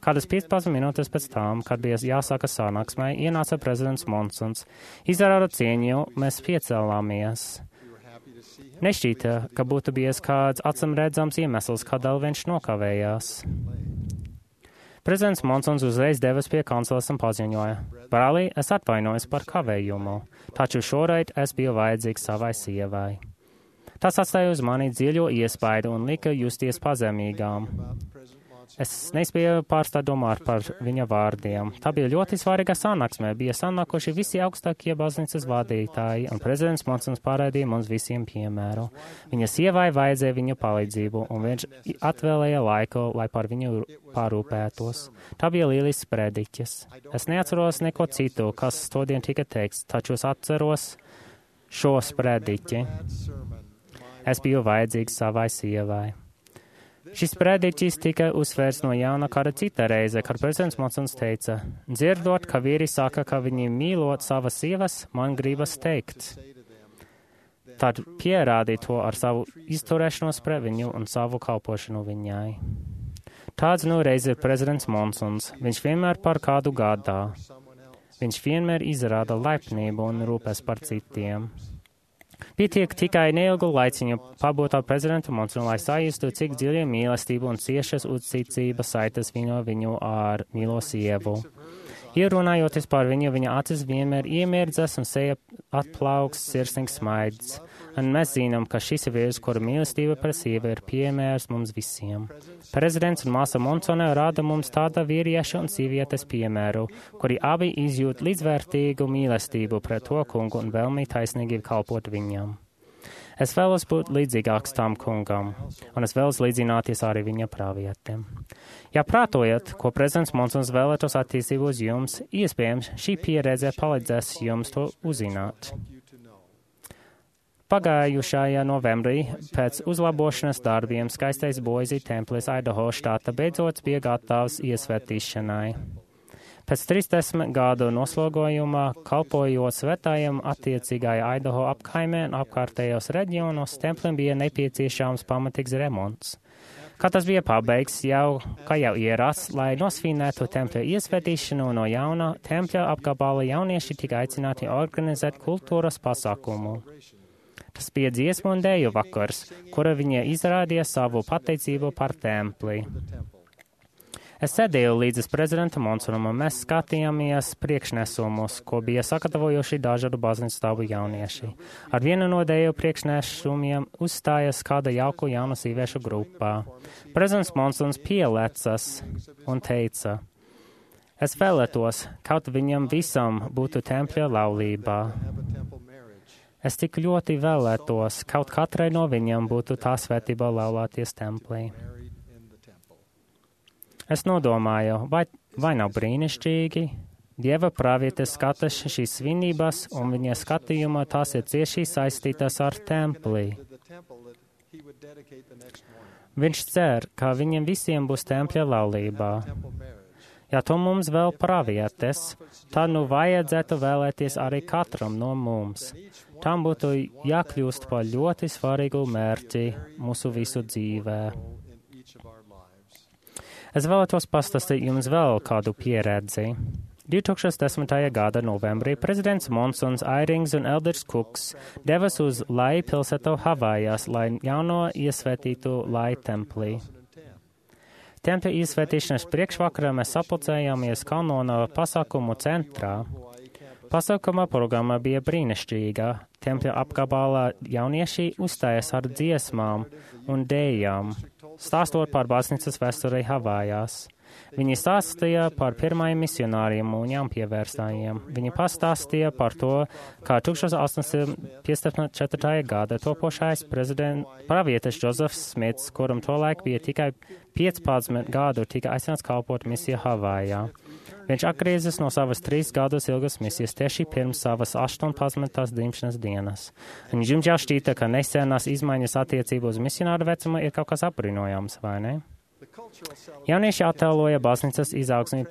Speaker 2: Kādas 15 minūtes pēc tam, kad bija jāsāka sanāksmē, ienāca prezidents Monsons. Izrādot cieņu, mēs piecēlāmies. Nešķīta, ka būtu bijis kāds acīmredzams iemesls, kādēļ viņš nokavējās. Prezidents Monsons uzreiz devas pie kanceles un paziņoja: Brālī, es atvainojos par kavējumu, taču šoreiz es biju vajadzīgs savai sievai. Tas atstāja uz mani dziļo iespaidu un lika justies pazemīgām. Es nespēju pārstāt domāt par viņa vārdiem. Tā bija ļoti svarīga sanāksme. Bija sanākuši visi augstākie baznīcas vadītāji, un prezidents Monsons parādīja mums visiem piemēru. Viņa sievai vajadzēja viņu palīdzību, un viņš atvēlēja laiku, lai par viņu parūpētos. Tā bija lielisks prediķis. Es neatceros neko citu, kas todien tika teikts, taču es atceros šo prediķi. Es biju vajadzīgs savai sievai. Šis prediķis tika uzsvērts no jauna kāda cita reize, kad prezidents Monsons teica: dzirdot, ka vīri saka, ka viņi mīlot savas sievas, man gribas teikt. Tad pierādīja to ar savu izturēšanos pret viņu un savu kalpošanu viņai. Tāds nu reiz ir prezidents Monsons. Viņš vienmēr par kādu gādā. Viņš vienmēr izrāda laipnību un rūpes par citiem. Pietiek tikai neilgu laiciņu pabūt ar prezidentu Monsonu, lai sajustu, cik dziļa mīlestība un ciešas uzticība saitas viņu ar mīlo sievu. Ierunājoties par viņu, viņa acis vienmēr iemirdzas un seja atplauks sirsnīgs smaids. Un mēs zinām, ka šis ir vīrs, kura mīlestība pret sievu ir piemērs mums visiem. Prezidents un māsa Monsone rāda mums tāda vīrieša un sievietes piemēru, kuri abi izjūt līdzvērtīgu mīlestību pret to kungu un vēlmi taisnīgi kalpot viņam. Es vēlos būt līdzīgāks tam kungam, un es vēlos līdzināties arī viņa pravietiem. Ja prātojat, ko prezidents Monsons vēlētos attīstību uz jums, iespējams, šī pieredze palīdzēs jums to uzzināt. Pagājušajā novembrī pēc uzlabošanas darbiem skaistais Boise templis Idaho štata beidzot bija gatavs iesvētīšanai. Pēc 30 gadu noslogojumā, kalpojot svētājiem attiecīgajā Idaho apkaimē un apkārtējos reģionos, templim bija nepieciešams pamatīgs remonts. Kad tas bija pabeigts, kā jau ierasts, lai nosvinētu tempļa iesvētīšanu no jauna, tempļa apgabala jaunieši tika aicināti organizēt kultūras pasākumu. Tas bija dziesmu un dēju vakars, kura viņa izrādīja savu pateicību par templi. Es sēdēju līdz prezidenta Monsonam, un mēs skatījāmies priekšnesumus, ko bija sagatavojuši dažādu baznīcu stāvu jaunieši. Ar vienu no dēju priekšnesumiem uzstājas kāda jauku jaunu sīviešu grupā. Prezidents Monsons pielecas un teica: es vēlētos, kaut viņam visam būtu tempļa laulībā. Es tik ļoti vēlētos, kaut katrai no viņam būtu tā svētība laulāties templī. Es nodomāju, vai nav brīnišķīgi? Dieva pravietes skatās šīs svinības, un viņa skatījumā tās ir cieši saistītas ar templi. Viņš cer, ka viņiem visiem būs tempļa laulībā. Ja to mums vēl pravietes, tad nu vajadzētu vēlēties arī katram no mums. Tam būtu jākļūst par ļoti svarīgu mērķi mūsu visu dzīvē. Es vēlētos pastāstīt jums vēl kādu pieredzi. 2010. gada novembrī prezidents Monsons, Airings un Elders Cooks devas uz Lai pilsētu Havājās, lai jauno iesvētītu Lai templī. Tempļa iesvētīšanas priekšvakarā mēs sapulcējāmies Kanona pasākumu centrā. Pasākuma programma bija brīnišķīga. Tempļa apgabalā jaunieši uzstājas ar dziesmām un dējām, stāstot par baznīcas vēsturei Havājās. Viņi stāstīja par pirmajiem misionāriem un jaunpievērstājiem. Viņi pastāstīja par to, kā 1854. gada topošais pravietis Džozefs Smits, kuram tolaik bija tikai 15 gadu, tika aicināts kalpot misiju Havājā. Viņš atgriezās no savas 3 gadus ilgas misijas tieši pirms savas 18. dzimšanas dienas. Un jums jau šķīta, ka nesenās izmaiņas attiecībā uz misionāru vecumu ir kaut kas apbrīnojams, vai ne? Jaunieši attēloja baznīcas izaugsmi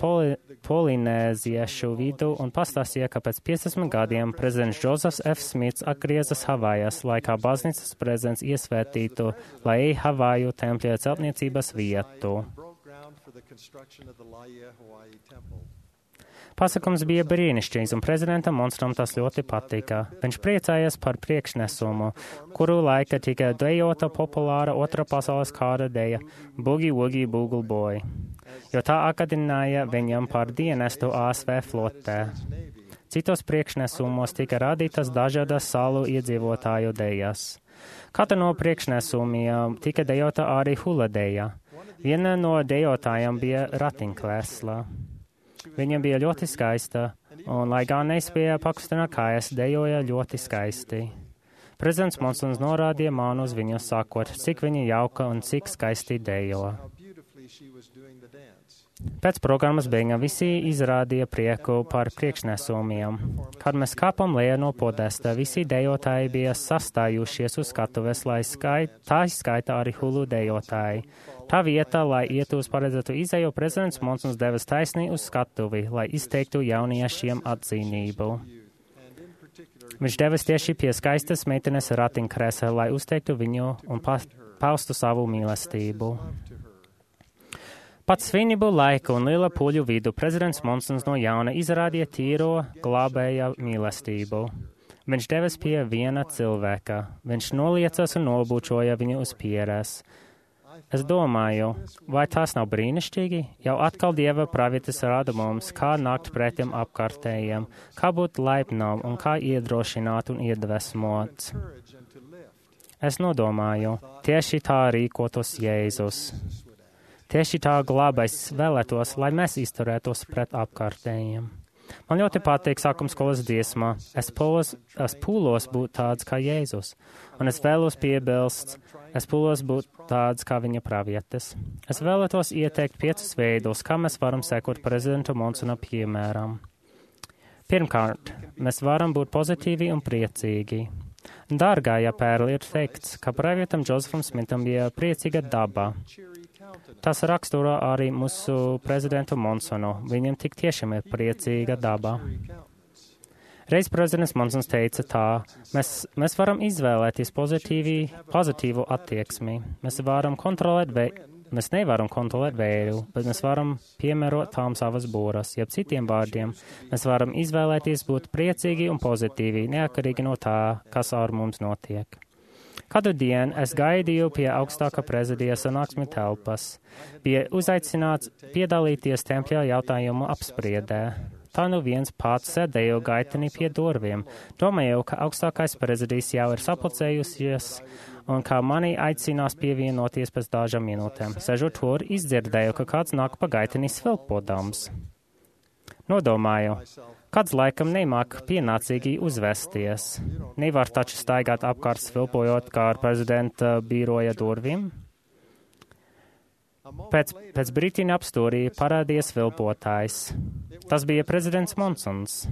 Speaker 2: polinēziešu vidu un pastāstīja, ka pēc 50 gadiem prezidents Džozefs F. Smits atgriezās Havājās, lai kā baznīcas prezidents iesvētītu Lai Havāju tempļa celtniecības vietu. Pasakums bija brīnišķīgs, un prezidentam Monsonam tas ļoti patika. Viņš priecājās par priekšnesumu, kuru laika tika dejota populāra otrā pasaules kāra deja Boogie Woogie Boogle Boy, jo tā atgādināja viņam par dienestu ASV flotē. Citos priekšnesumos tika radītas dažādas salu iedzīvotāju dejas. Katra no priekšnesumiem tika dejota arī hula deja. Viena no dejotājām bija ratiņkrēslā. Viņa bija ļoti skaista, un, lai gan nespēja pakustināt kājas, dejoja ļoti skaisti. Prezidents Monsons norādīja man uz viņu, sakot, cik viņa jauka un cik skaisti dejo. Pēc programmas beigām visi izrādīja prieku par priekšnesumiem. Kad mēs kāpam lejā no podesta, visi dejotāji bija sastājušies uz skatuves, lai tā izskaita arī hulu dejotāji. Tā vieta, lai ietu uz paredzētu izēju, prezidents Monsons devas taisnī uz skatuvi, lai izteiktu jauniešiem atzīnību. Viņš devas tieši pie skaistas meitenes ratiņkrēsla, lai uzteiktu viņu un paustu savu mīlestību. Pat svinību laiku un liela puļu vidu prezidents Monsons no jauna izrādīja tīro glābēja mīlestību. Viņš devas pie viena cilvēka. Viņš noliecas un nobučoja viņu uz pieres. Es domāju, vai tas nav brīnišķīgi? Jau atkal Dieva pravietis rāda mums, kā nākt pretim apkārtējiem, kā būt laipnām un kā iedrošināt un iedvesmot. Es nodomāju, tieši tā rīkotos Jēzus. Tieši tā glābais vēlētos, lai mēs izturētos pret apkārtējiem. Man ļoti patīk sākuma skolas dziesmā. Es pūlos būt tāds kā Jēzus, un es vēlos piebilst, es pūlos būt tāds kā viņa pravietes. Es vēlētos ieteikt 5 veidus, kā mēs varam sekot prezidenta Monsona piemēram. Pirmkārt, mēs varam būt pozitīvi un priecīgi. Dārgājā pērli ir teikts, ka pravietam Džozefam Smitam bija priecīga daba. Tas raksturo arī mūsu prezidentu Monsonu. Viņam tik tiešām ir priecīga daba. Reiz prezidents Monsons teica tā, mēs varam izvēlēties pozitīvu attieksmi. Mēs nevaram kontrolēt vēju, bet mēs varam piemērot tām savas būras. Jeb citiem vārdiem, mēs varam izvēlēties būt priecīgi un pozitīvi, neatkarīgi no tā, kas ar mums notiek. Kādu dienu es gaidīju pie augstākā prezidija sanāksmi telpas. Bija uzaicināts piedalīties tempļa jautājumu apspriedē. Tā nu viens pats sēdēju gaitenī pie durvīm. Domāju, ka augstākais prezidijs jau ir sapulcējusies un ka mani aicinās pievienoties pēc dažām minūtēm. Sežot tur, izdzirdēju, ka kāds nāk pa gaitenī svilpodams. Nodomāju, kāds laikam nemāk pienācīgi uzvesties. Nevar taču staigāt apkārt svilpojot kā ar prezidenta biroja durvīm. Pēc brītiņa apstūrī parādījās svilpotājs. Tas bija prezidents Monsons.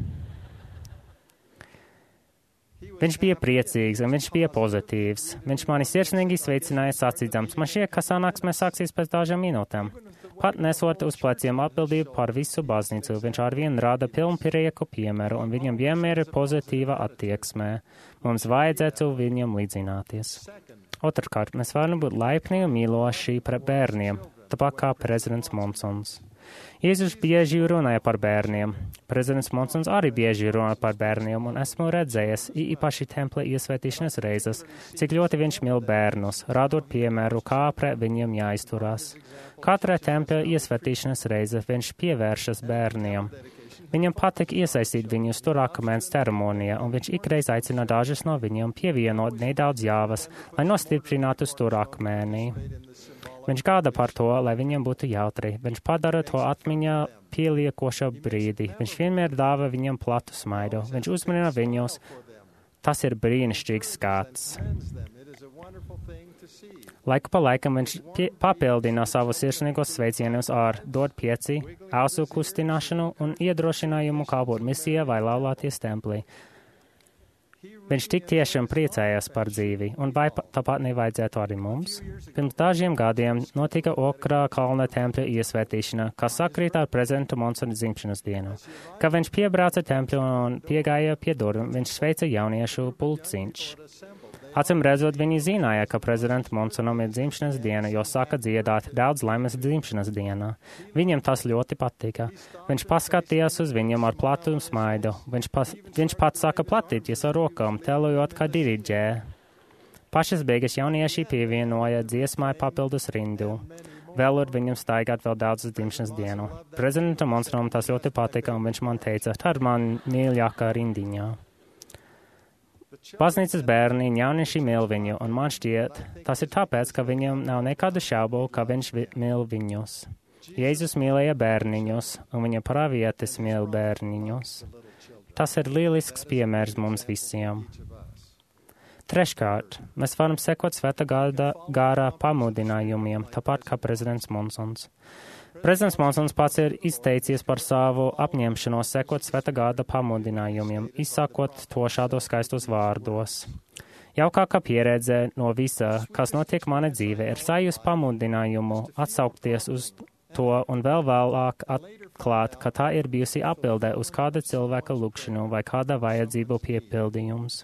Speaker 2: Viņš bija priecīgs un viņš bija pozitīvs. Viņš mani sirsnīgi sveicināja sacīdams, man šķiet, ka sanāksme sāksies pēc dažām minūtēm. Pat nesot uz pleciem atbildību par visu baznīcu, viņš arvien rāda pilnprieku piemēru un viņam vienmēr ir pozitīva attieksmē. Mums vajadzētu viņam līdzināties. Otrkārt, mēs varam būt laipni un mīloši pret bērniem, tāpat kā prezidents Monsons. Jēzus bieži runāja par bērniem. Prezidents Monsons arī bieži runāja par bērniem, un esmu redzējis, īpaši templi iesvētīšanas reizes, cik ļoti viņš mīl bērnus, rādot piemēru, kā pret viņiem jāizturās. Katra tempļa iesvētīšanas reize viņš pievēršas bērniem. Viņam patīk iesaistīt viņus stūrakmens ceremonijā, un viņš ikreiz aicina dažus no viņiem pievienot nedaudz jāvas, lai nostiprinātu stūrakmeni. Viņš gāda par to, lai viņiem būtu jautri. Viņš padara to atmiņā pieliekoša brīdi. Viņš vienmēr dāva viņiem platu smaidu. Viņš uzmanina viņus. Tas ir brīnišķīgs skats. Laiku pa laikam viņš papildina savus sirsnīgos sveicienus ar dod pieci, ausu kustināšanu un iedrošinājumu kalpot misijā vai laulāties templī. Viņš tik tiešām priecājās par dzīvi, un vai tāpat nevajadzētu arī mums? Pirms dažiem gadiem notika Okrā kalna tempļa iesvētīšana, kas sakrīt ar prezidenta Monsona dzimšanas dienu. Kad viņš piebrauca tempļu un piegāja pie durvīm, viņš sveica jauniešu pulciņš. Acīm redzot, viņi zināja, ka prezidenta Monsonam ir dzimšanas diena, jo sāka dziedāt daudz laimes dzimšanas dienā. Viņam tas ļoti patika. Viņš paskatījās uz viņam ar platu un smaidu. Viņš pats sāka platīties ar rokām, telojot kā diriģē. Pašas beigas jaunieši pievienoja dziesmai papildus rindu. Vēlot viņam staigāt vēl daudzas dzimšanas dienu. Prezidenta Monsonam tas ļoti patika, un viņš man teica, tā ir man mīļākā rindiņā. Baznīcas bērni un jaunieši mīl viņu, un man šķiet, tas ir tāpēc, ka viņam nav nekādu šaubu, ka viņš mīl viņus. Jēzus mīlēja bērniņus, un viņa pravietes mīl bērniņus. Tas ir lielisks piemērs mums visiem. Treškārt, mēs varam sekot Svētā gara pamudinājumiem, tāpat kā prezidents Monsons. Prezidents Monsons pats ir izteicies par savu apņemšanos sekot Svētā gada pamudinājumiem, izsakot to šādos skaistos vārdos. Jaukākā pieredze no visa, kas notiek mana dzīve, ir sajūs pamudinājumu atsaukties uz to un vēl vēlāk atklāt, ka tā ir bijusi atbildē uz kāda cilvēka lūgšanu vai kāda vajadzību piepildījums.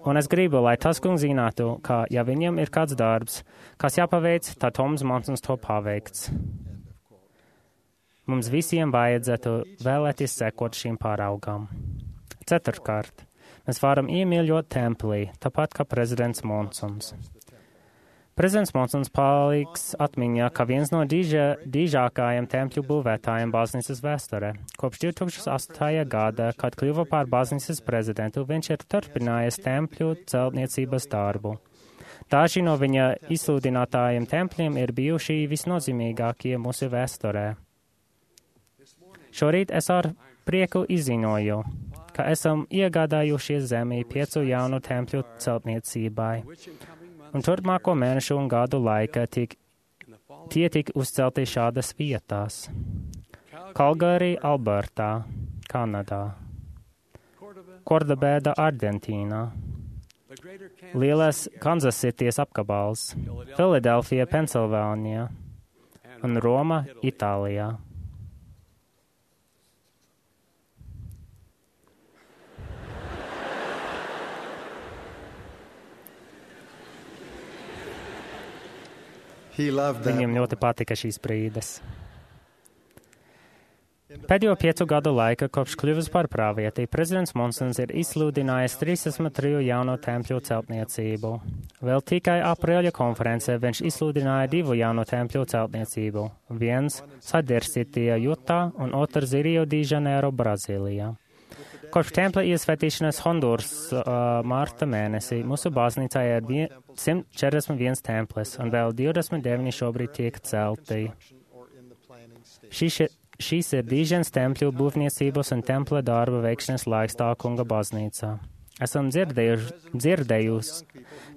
Speaker 2: Un es gribu, lai tas kungs zinātu, ka, ja viņam ir kāds darbs, kas jāpaveic, tad Toms Monsons to paveikts. Mums visiem vajadzētu vēlēties sekot šīm pāraugām. Ceturtkārt, mēs varam iemīļot templī, tāpat kā prezidents Monsons. Prezidents Monsons paliks atmiņā, ka viens no dīžākajiem tempļu būvētājiem baznīcas vēsturē. Kopš 2008. gada, kad kļuva par baznīcas prezidentu, viņš ir turpinājis tempļu celtniecības darbu. Daži no viņa izsludinātājiem tempļiem ir bijuši visnozīmīgākie mūsu vēsturē. Šorīt es ar prieku izziņoju, ka esam iegādājušies zemi 5 jaunu tempļu celtniecībai, un turpmāko mēnešu un gadu laikā tie tika uzcelti šādas vietās: Kalgārī, Albertā, Kanadā, Kordobēda, Argentīnā, Lielais Kanzasitijas apgabals, Filadelfija, Pensilvānijā un Roma, Itālijā. Viņam ļoti patika šīs brīdes. Pēdējo 5 gadu laikā, kopš kļuvis par pravieti, prezidents Monsons ir izsludinājis 33 jauno tempļu celtniecību. Vēl tikai aprīļa konferencē viņš izsludināja 2 jauno tempļu celtniecību. Viens Sadersitija, Jutā un otrs Rio de Janeiro, Brazīlijā. Kopš tempļa iesvētīšanas Honduras marta mēnesī mūsu baznīcā ir 141 templis un vēl 29 šobrīd tiek celti. Šīs ir Dīženas tempļu būvniecības un templa darba veikšanas laiks tā kunga baznīcā. Esam dzirdējusi,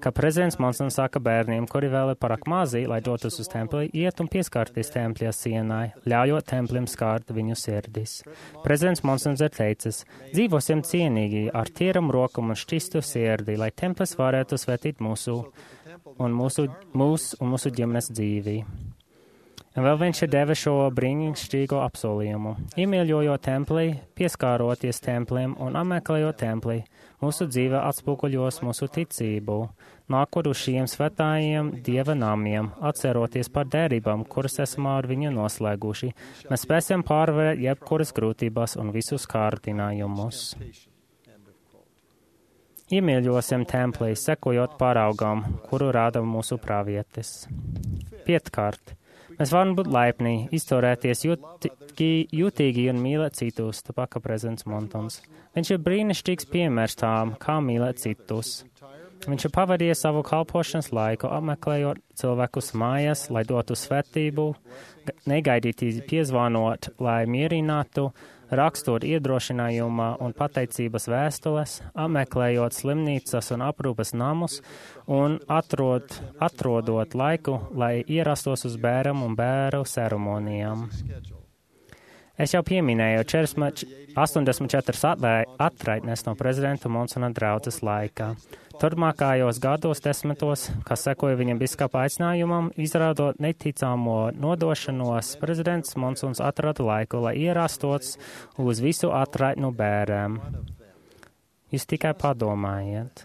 Speaker 2: ka prezidents Monsons saka bērniem, kuri vēl ir pārāk mazi, lai dotos uz templi, iet un pieskarties tempļa sienai, ļaujot templim skārt viņu sirdis. Prezidents Monsons ir teicis: dzīvosim cienīgi, ar tīram rokam un šķistu sirdi, lai templis varētu svētīt mūsu ģimenes dzīvi. Un vēl viņš ir devis šo brīnišķīgo apsolījumu. Iemīļojot templī, pieskāroties templiem un apmeklējot templī, mūsu dzīve atspoguļos mūsu ticību, nākot uz šiem svētājiem Dieva namiem, atceroties par derībām, kuras esam ar viņu noslēguši. Mēs spēsim pārvarēt jebkuras grūtības un visus kārdinājumus. Iemīļosim templī, sekojot paraugam, kuru rāda mūsu pravietis. 5. Mēs varam būt laipni, izturēties jutīgi un mīlēt citus, tāpēc prezidents Monsons. Viņš ir brīnišķīgs piemērs tām, kā mīlēt citus. Viņš ir pavadījis savu kalpošanas laiku, apmeklējot cilvēkus mājās, lai dotu svētību, negaidīti piezvanot, lai mierinātu, rakstot iedrošinājuma un pateicības vēstules, apmeklējot slimnīcas un aprūpes namus un atrodot laiku, lai ierastos uz bēram un bēru ceremonijām. Es jau pieminēju 84 atraitnes no prezidenta Monsona draudzes laikā. Turpmākajos gados 10, kas sekoja viņam biskapa aicinājumam, izrādot neticamo nodošanos, prezidents Monsons atrada laiku, lai ierastos uz visu atraitnu bērēm. Jūs tikai padomājiet.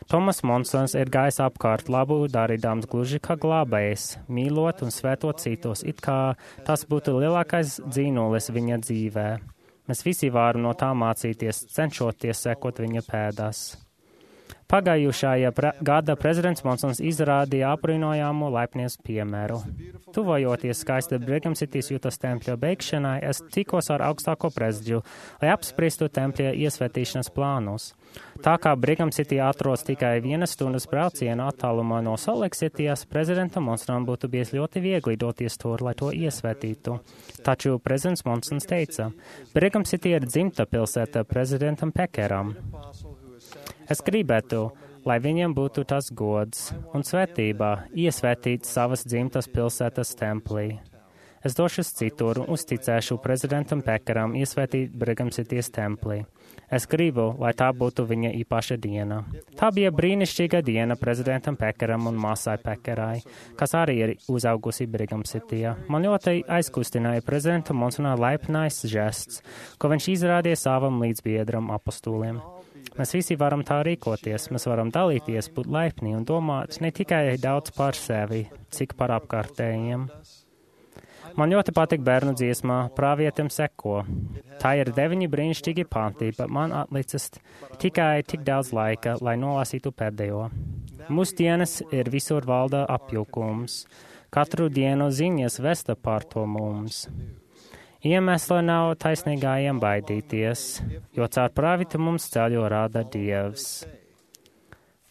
Speaker 2: Tomas Monsons ir gājis apkārt labu darīdams gluži kā glābējs, mīlot un svētot citus, it kā tas būtu lielākais dzīnulis viņa dzīvē. Mēs visi varam no tā mācīties, cenšoties sekot viņa pēdās. Pagājušajā gada prezidents Monsons izrādīja apbrīnojamu laipnies piemēru. Tuvojoties skaista Brigham Citys Jutas tempļa beigšanai, es tikos ar augstāko prezidiju, lai apspriestu tempļa iesvētīšanas plānus. Tā kā Brigham City atrodas tikai 1 stundas brauciena attālumā no Salt Lake Cityjas, prezidentam Monsonam būtu bijis ļoti viegli doties tur, lai to iesvētītu. Taču prezidents Monsons teica: Brigham City ir dzimta pilsēta prezidentam Pekeram. Es gribētu, lai viņam būtu tas gods un svētība iesvētīt savas dzimtas pilsētas templī. Es došos citur un uzticēšu prezidentam Pekeram iesvētīt Brigham Citys templī. Es gribu, lai tā būtu viņa īpaša diena. Tā bija brīnišķīga diena prezidentam Pekeram un māsai Pekerai, kas arī ir uzaugusi Brigham Cityjā. Man ļoti aizkustināja prezidenta Monsona laipnais žests, ko viņš izrādīja savam līdzbiedram apostūliem. Mēs visi varam tā rīkoties, mēs varam dalīties, būt laipni un domāt ne tikai daudz par sevi, cik par apkārtējiem. Man ļoti patīk bērnu dziesmā Pravietim seko. Tā ir 9 brīnišķīgi panti, bet man atlicis tikai tik daudz laika, lai nolasītu pēdējo. Mūsdienas ir visur valda apjukums. Katru dienu ziņas vesta par to mums. Iemesla nav taisnīgājiem baidīties, jo caur pravietu mums ceļu rāda Dievs.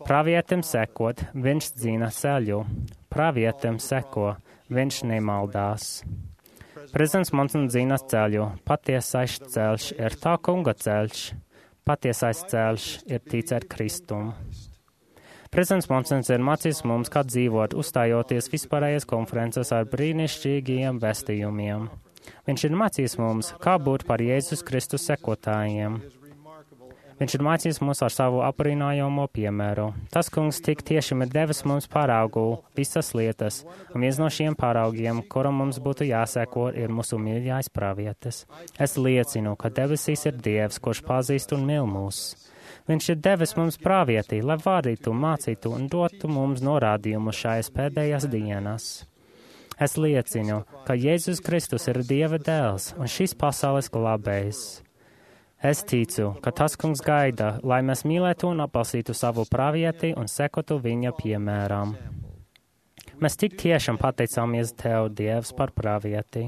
Speaker 2: Pravietim sekot, viņš zina ceļu. Pravietim seko, viņš nemaldās. Prezidents Monsons zina ceļu. Patiesais ceļš ir tā kunga ceļš. Patiesais ceļš ir ticēt Kristum. Prezidents Monsons ir mācījis mums, kā dzīvot, uzstājoties vispārējās konferences ar brīnišķīgiem vēstījumiem. Viņš ir mācījis mums, kā būt par Jēzus Kristus sekotājiem. Viņš ir mācījis mums ar savu aprīnājomo piemēru. Tas kungs tik tiešām ir devis mums paraugu visas lietas, un viens no šiem paraugiem, kuram mums būtu jāseko, ir mūsu mīļākais pravietis. Es liecinu, ka debesīs ir Dievs, kurš pazīst un mīl mūs. Viņš ir devis mums pravietī, lai vadītu, mācītu un dotu mums norādījumu šajās pēdējās dienas. Es liecinu, ka Jēzus Kristus ir Dieva dēls un šīs pasaules glābējs. Es ticu, ka tas kungs gaida, lai mēs mīlētu un atbalstītu savu pravieti un sekotu viņa piemēram. Mēs tik tiešām pateicāmies Tev, Dievs, par pravieti.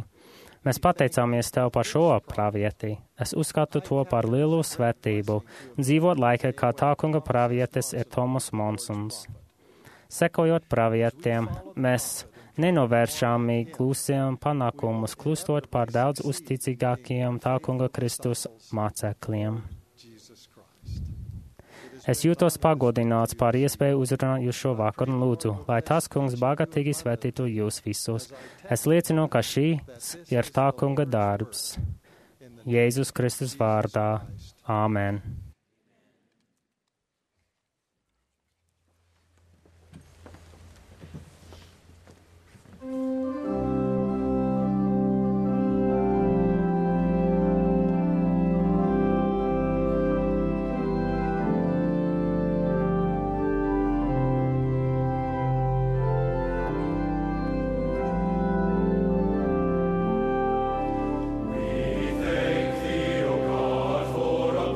Speaker 2: Mēs pateicāmies Tev par šo pravieti. Es uzskatu to par lielu svētību, dzīvot laikā, kā tā kunga pravietis ir Tomas Monsons. Sekojot pravietiem, mēs nenovēršami klusējam panākumus, klustot par daudz uzticīgākiem tā kunga Kristus mācekļiem. Es jūtos pagodināts par iespēju uzrunāt jūs šo vakaru un lūdzu, lai tas kungs bagātīgi svētītu jūs visus. Es liecinu, ka šīs ir tā kunga darbs. Jēzus Kristus vārdā. Āmen.
Speaker 3: We thank Thee, O God, for a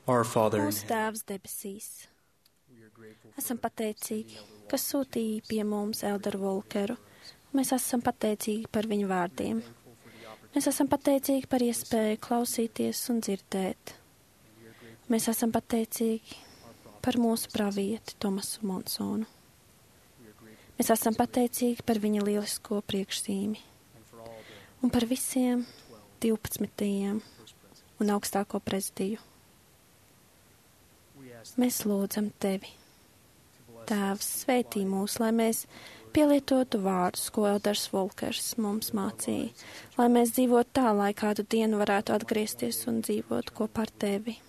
Speaker 3: Our Father,
Speaker 1: Mūsu Tēvs debesīs. Esam pateicīgi, ka sūtīja pie mums Elderu Volkeru. Mēs esam pateicīgi par viņu vārdiem. Mēs esam pateicīgi par iespēju klausīties un dzirdēt. Mēs esam pateicīgi par mūsu pravieti Tomasu Monsonu. Mēs esam pateicīgi par viņa lielisko priekšzīmi un par visiem 12. un augstāko prezidiju. Mēs lūdzam Tevi. Tēvs, svētī mūs, lai mēs pielietotu vārdus, ko Elders Volkers mums mācīja, lai mēs dzīvotu tā, lai kādu dienu varētu atgriezties un dzīvot kopā ar Tevi.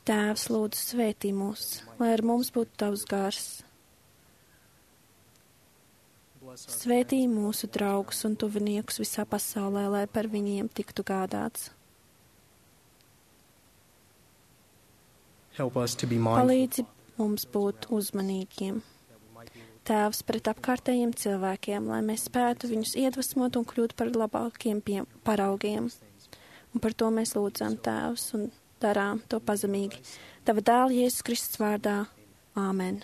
Speaker 1: Tēvs, lūdzu, svētī mūs, lai ar mums būtu Tavs gars. Svētī mūsu draugus un tuviniekus visā pasaulē, lai par viņiem tiktu gādāts. Palīdzi mums būt uzmanīgiem. Tēvs, pret apkārtējiem cilvēkiem, lai mēs spētu viņus iedvesmot un kļūt par labākiem paraugiem. Un par to mēs lūdzam, Tēvs, un darām to pazemīgi. Tava dēla Jēzus Kristus vārdā. Āmen.